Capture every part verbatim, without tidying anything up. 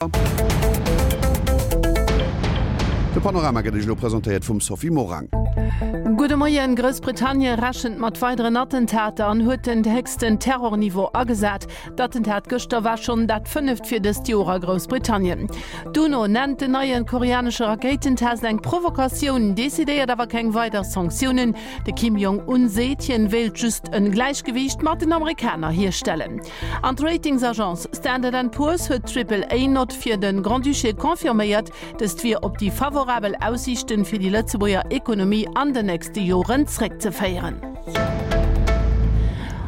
De Panorama gëtt Iech elo presentéiert vum Sophie Morang. Gudde Moien, Groussbritannien rechent mat weideren Attentater an huet den héchsten Terrorniveau agesat. D'Attentat gëschter war schonn dat fënneft fir dëst Joer a Groussbritannien. D'UNO nennt den neie koreanesche Rakéitentest eng Provokatioun, decidéiert awer keng weider Sanktiounen. De Kim Jong Un seet, hien wéilt just en Gläichgewiicht mat den Amerikaner hierstellen. An d'Ratingsagence Standard and Poor's huet d'Triple-A-Nott fir de Grand-Duché confirméiert. Dëst wier op déi favorabel Aussiichten fir déi Lëtzebuerger Ekonomie an den nächste Joren zréckzeféieren.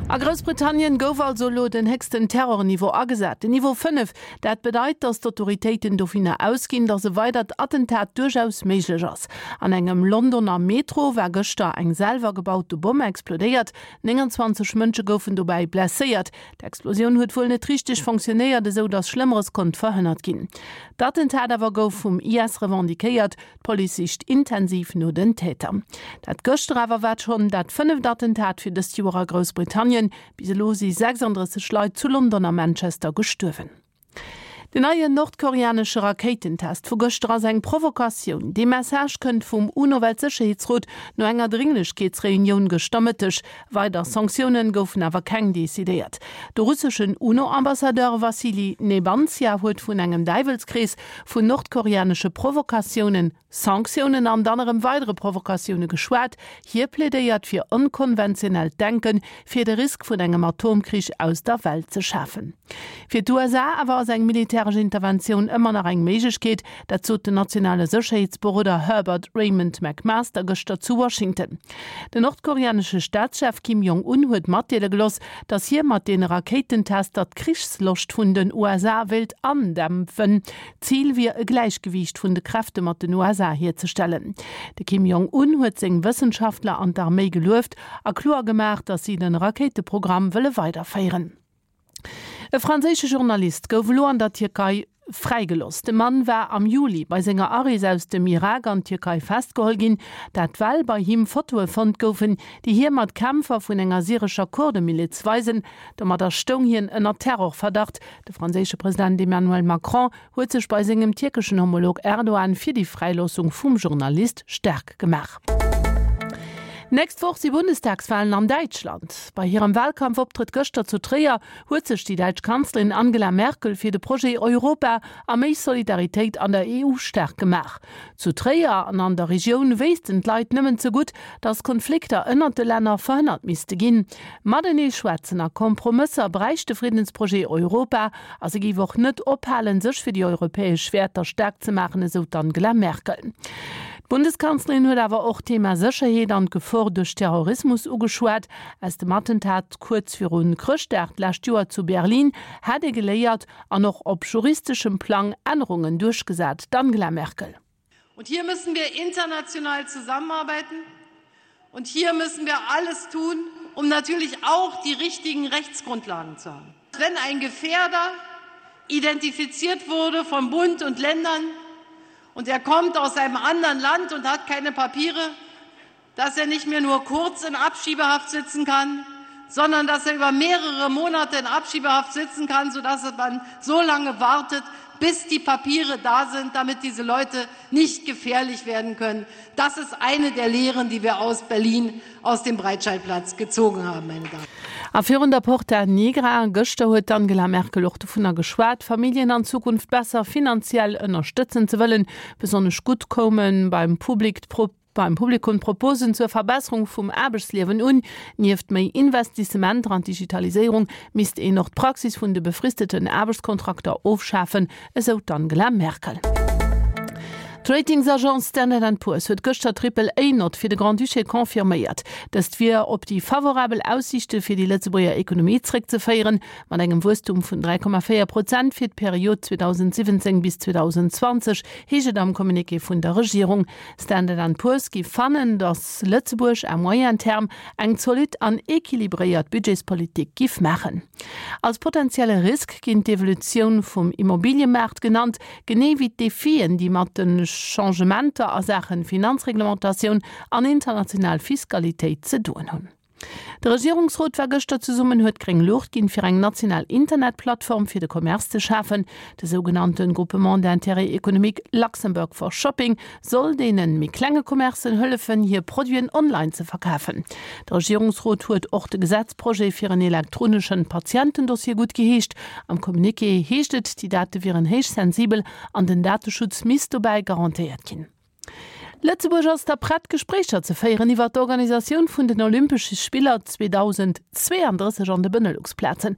A Groussbritannien gouf also elo den héchsten Terrorniveau agesat, den Niveau fënnef. Dat bedeit, datt d'Autoritéiten dovunner ausginn, datt e weidert Attentat duerchaus méiglech ass. An engem Londoner Metro war gëschter eng selwer gebaute Bomm explodéiert. nénganzwanzeg Mënsche goufen dobäi blesséiert. D'Explosioun huet wuel net richteg fonctionnéiert, esou datt Schlëmmeres konnt verhënnert ginn. D'Attentat awer gouf vum I S revendiquéiert. D'Police sicht intensiv no den Täter. Dat gëschter awer war schonn dat fënneft Attentat fir dëst Joer a Groussbritannien. Bis elo si sechsanddrësseg Leit zu London a Manchester gestuerwen. Den neien nordkoreanesche Rakéitentest vu gëschter ass eng Provokatioun. Dee Message kënnt vum UNO-Weltsécherheetsrot no enger Dringlechkeetsreunioun gëschter Mëtteg. Weider Sanktioune goufen awer keng decidéiert. De russeschen UNO-Ambassadeur Wassili Nebenzia huet vun engem Däiwelskrees vun nordkoreanesche Provokatiounen, Sanktiounen an dann erëm weidere Provokatioune geschwat. Hie plädéiert fir onkonventionellt Denken, fir de Risk vun engem Atomkrich aus der Welt ze schafen. Fir d'U S A awer ass eng militäresch Interventioun ëmmer nach eng Méiglechkeet, dat sot den nationale Sécherheetsberoder Herbert Raymond McMaster gëschter zu Washington. Den nordkoreanesche Staatschef Kim Jong-un huet matdeele gelooss, datt hie mat deene Rakéitentester d'Krichsloscht vun den U S A wéilt andämpfen. Zil wier e Gläichgewiicht vun de Kräfte mat den U S A hierzestellen. De Kim Jong-un huet seng Wëssenschaftler an d'Arméi gelueft a kloer gemaach, datt si de Rakéiteprogramm wëlle weiderféieren. E franséische Journalist gouf elo an der Tierkei fräigelooss. De Mann war am Juli bei senger Arees aus dem Irak an d'Tierkei festgeholl ginn, dat well bei him Fotoe fonnt goufen, déi hie mat Kämpfer vun enger syrescher Kurdemiliz weisen. Domadder stoung hien ënner Terrorverdacht. De franséische President Emmanuel Macron huet sech bei sengem tierkeschen Homolog Erdogan fir déi Fräiloossung vum Journalist staark gemaach. Nächst Woch si Bundestagswalen an Däitschland. Bei hirem Walkampfoptrëtt gëschter zu Tréier huet sech déi däitsch Kanzlerin Angela Merkel fir de Projet Europa a méi Solidaritéit an der E U staark gemaach. Zu Tréier an an der Regioun wéissten d'Leit nëmmen ze gutt, datt Konflikter ënnert de Länner verhënnert misste ginn. Matenee schwätzen a Kompromësser bräicht de Friddensprojet Europa a se géif och net ophalen, sech fir déi europäesch Wäerter staark ze maachen, esou d'Angela Merkel. D'Bundeskanzlerin huet awer och d'Thema Sécherheet an d'Gefor duerch Terrorismus ugeschwat. Aus dem Attentat kuerz viru Chrëschtdag d'lescht Joer zu Berlin hätt ee geléiert an och op juristeschem Plang Ännerungen duerchgesat, d'Angela Merkel. Und hier müssen wir international zusammenarbeiten. Und hier müssen wir alles tun, um natürlich auch die richtigen Rechtsgrundlagen zu haben. Wenn ein Gefährder identifiziert wurde vom Bund und Ländern und er kommt aus einem anderen Land und hat keine Papiere, dass er nicht mehr nur kurz in Abschiebehaft sitzen kann, sondern dass er über mehrere Monate in Abschiebehaft sitzen kann, sodass man so lange wartet, bis die Papiere da sind, damit diese Leute nicht gefährlich werden können. Das ist eine der Lehren, die wir aus Berlin, aus dem Breitscheidplatz gezogen haben, meine Damen. A virun der Porta Nigra gëschter huet d'Angela Merkel och dovunner geschwat, Familljen an Zukunft besser finanziell ënnerstëtzen ze wëllen. Besonnesch gutt koume beim Public beim Publikum d'Proposen zur Verbesserung vum Aarbechtsliewen un. Nieft méi Investissementer an d'Digitaliséierung misst een och d'Praxis vun de befristeten Aarbechtskontrakter ofschafen, esou d'Angela Merkel. D'Ratingsagence Standard and Poor's huet gëschter d'Triple-A-Nott fir de Grand-Duché confirméiert. Dëst wier op déi favorabel Aussiichte fir déi Lëtzebuerger Ekonomie zréckzeféieren, mat engem Wuesstum vun dräi Komma véier Prozent fir d'Period zweedausendsiwwenzéng bis zweedausendzwanzeg, heescht et am Communiqué vun der Regierung. Standard and Poor's géif fannen, datt Lëtzebuerg à moyen terme eng zolidd an equilibréiert Budgetspolitik géif maachen. Als potenzielle Risk ginn d'Evolutioun vum Immobiliëmaart genannt, genee wéi d'Defien, déi mat de Changementer a Saache Finanzreglementatioun an international Fiskalitéit ze doen hunn. De Regierungsrot war gëschter zesummen, huet gréng Luucht ginn, fir eng national Internetplattform fir de Commerce ze schafen. De sougenannte Groupement d'intérêt économique Luxembourg for Shopping soll deene méi klenge Commercen hëllefen, hir Produiten online ze verkafen. De Regierungsrot huet och de Gesetzprojet fir en elektronesche Patientendossier guttgeheescht. Am Communiqué heescht et, déi Date wieren héich sensibel an den Dateschutz misst dobäi garantéiert ginn. Lëtzebuerg ass da prett, Gespréicher ze féieren iwwer d'Organisatioun vun den Olympesche Spiller zweedausendzweeandrësseg an de Benelux-Plazen,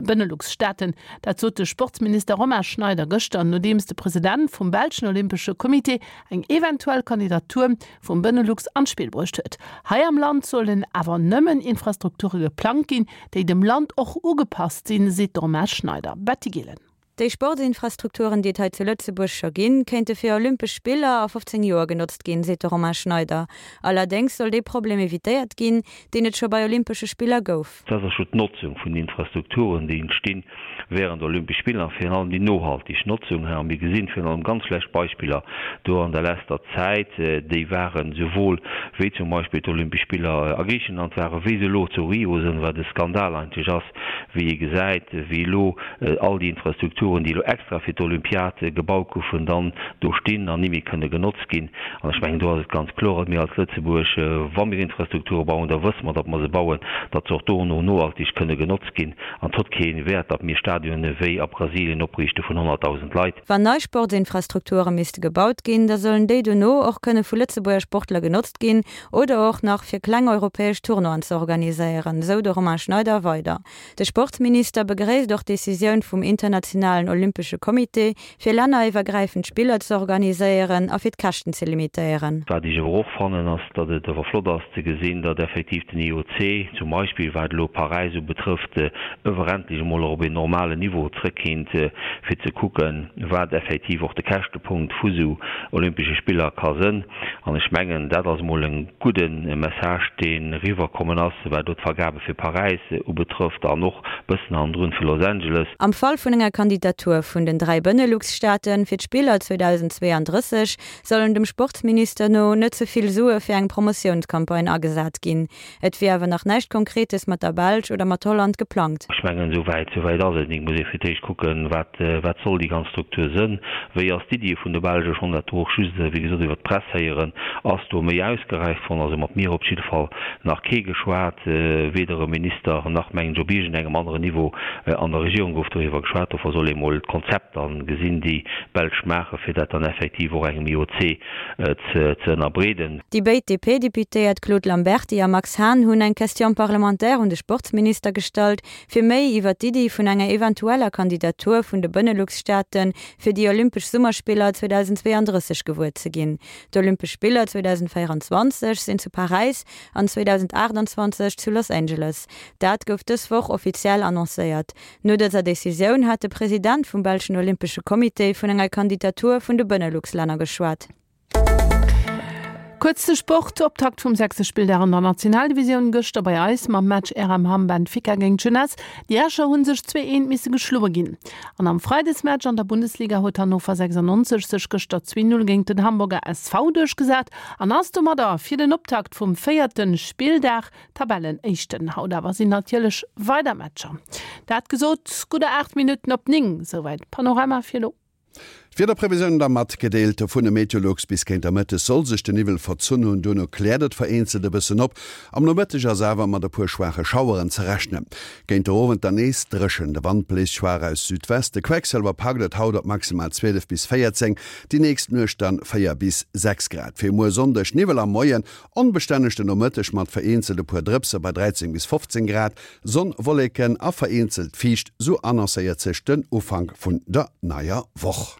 Benelux-Staaten. Dat sot de Sportsminister Romain Schneider gëschter, nodeems de President vum belschen Olympesche Comité eng eventuell Kandidatur vum Benelux an d'Spill bruecht huet. Hei am Land sollen awer nëmmen Infrastrukture geplangt ginn, déi dem Land och ugepasst sinn, seet de Romain Schneider. Betty Gillen. Déi Sportsinfrastrukturen, déi et hei zu Lëtzebuerg scho ginn, kéinte fir Olympesch Spiller a fofzéng Joer genotzt ginn, seet de Romain Schneider. Allerdéngs soll dee Problem evitéiert ginn, deen et scho bei Olympesche Spiller gouf. Dat ass jo d'Notzung vun den Infrastrukturen, déi entstinn während Olympesch Spiller, an virun allem déi nohaltig Notzung. A mir gesinn virun allem ganz schlecht Beispiller do an der leschter Zäit, déi waren souwuel wéi zum Beispill d'Olympesch Spiller a Griichenland waren, wéi se elo zu Rio sinn, wat e Skandal eigentlech ass, wéi ee gesäit, wéi elo all déi Infrastrukturen, déi elo extra fir d'Olympiad gebaut goufen, dann do stinn an ni méi kënne genotzt ginn. An ech mengen, do ass et ganz kloer, datt mir als Lëtzebuerg, wa mir Infrastrukture bauen, da wësse mer, datt mer se bauen, datt se och dono nohaltig kënne genotzt ginn. An et huet kee Wäert, datt mir Stadionen wéi a Brasilien opriichte vun honnertdausend Leit. Wann nei Sportsinfrastrukture misste gebaut ginn, da sollen déi dono och kënne vu Lëtzebuerger Sportler genotzt ginn oder och nach fir kleng europäesch Tournoien ze organiséieren, sou de Romain Schneider weider. De Sportsminister begréisst och d'Decisioun vum Internationalen Olympesche Comité, fir länneriwwergräifend Spiller ze organiséieren a fir d'Käschten ze limitéieren. Wat ech awer och fannen, ass, datt et awer flott ass ze gesinn, datt effektiv den I O C zum Beispill, wat elo Paräis ubetrëfft, ëwer endlech emol op een normalen Niveau zrëckkéint, fir ze kucken, wat effektiv och de Käschtepunkt vu sou Olympesche Spiller ka sënn. An ech mengen, dat ass emol e gudde Message, dee riwwerkommen ass, wat elo d'Vergabe fir Paräis ubetrëfft an och bëssen hannendrun fir Los Angeles. Am Fall vun enger Kandidatur vun den dräi Benelux-Staate fir d'Spiller zweedausendzweeandrësseg sollen dem Sportsminister no net ze vill Sue fir eng Promotiounscampagne agesat ginn. Et wier awer nach näischt Konkretes mat der Belsch oder mat Holland geplangt. Ech mengen, esou wäit, esou wäit ass et net. Et muss ee fir d'éischt kucken, wat, wat soll déi ganz Struktur sënn, wéi ass d'Iddi vun de Belsch, ech hunn dat do och just, wéi gesot, iwwert d'Press héieren, ass do méi ausgeräift worden. Also mat mir op jidde Fall nach kee geschwat, weder e Minister nach, mengen ech, op iergendengem aneren Niveau an der Regierung gouf doriwwer geschwat. Dofir soll ee mol d'Konzept dann gesinn, déi d'Belsch maachen, fir dat dann effektiv och engem I O C ze ënnerbreeden. Déi béid D P-Deputéiert Claude Lamberty a Max Hahn hunn eng Question parlementaire un de Sportsminister gestallt, fir méi iwwer d'Iddi vun enger eventueller Kandidatur vun de Benelux-Staate fir déi Olympesch Summerspiller zweedausendzweeandrësseg gewuer ze ginn. D'Olympesch Spiller zweedausendvéierenzwanzeg sinn zu Paräis an zweedausendaachtenzwanzeg zu Los Angeles. Dat gouf dës Woch offiziell annoncéiert. No dëser Decisioun hat de President vum belschen Olympesche Comité vun enger Kandidatur vun de Benelux-Länner geschwat. Kuerz de Sport, Optakt vum sechste Spilldag an der Nationaldivisioun gëschter bei eis mam Match R M Hamm Benfica géint Jeunesse. Déi Escher hu sech zwee eent misse geschloe ginn. An am Freidesmatch an der Bundesliga huet Hannover sechsundneunzeg sech gëschter zwee null géint den Hamburger S V duerchgesat an ass domadder fir den Optakt vum véierte Spilldag Tabellenéischten. Haut awer sinn natierlech weider Matcher. Dat gesot, gudder aacht Minutten op néng, souwäit Panorama fir elo. D'Wiederprevisioun da matgedeelt vun de Meteolux: Bis géint de Mëtteg soll sech de Niwwel verzunn hunn, duerno kläert et vereenzelt e bëssen op. Am Nomëtteg ass awer mat e puer schwaache Schaueren ze rechnen. Géint de Owend dann nees dréchen, de Wand bléist schwaach aus Südwest. De Quecksëlwer packt et haut op maximal zwielef bis véierzéng, déi nächst Nuecht dann véier bis sechs Grad. Fir muer Sonndeg Niwwel am Moien, onbestänneg den Nomëtteg mat vereenzelt e puer Drëpse bei dräizéng bis fofzéng Grad, Sonn, Wolleken a vereenzelt fiicht, sou annoncéiert sech den Ufank vun der neier Woch.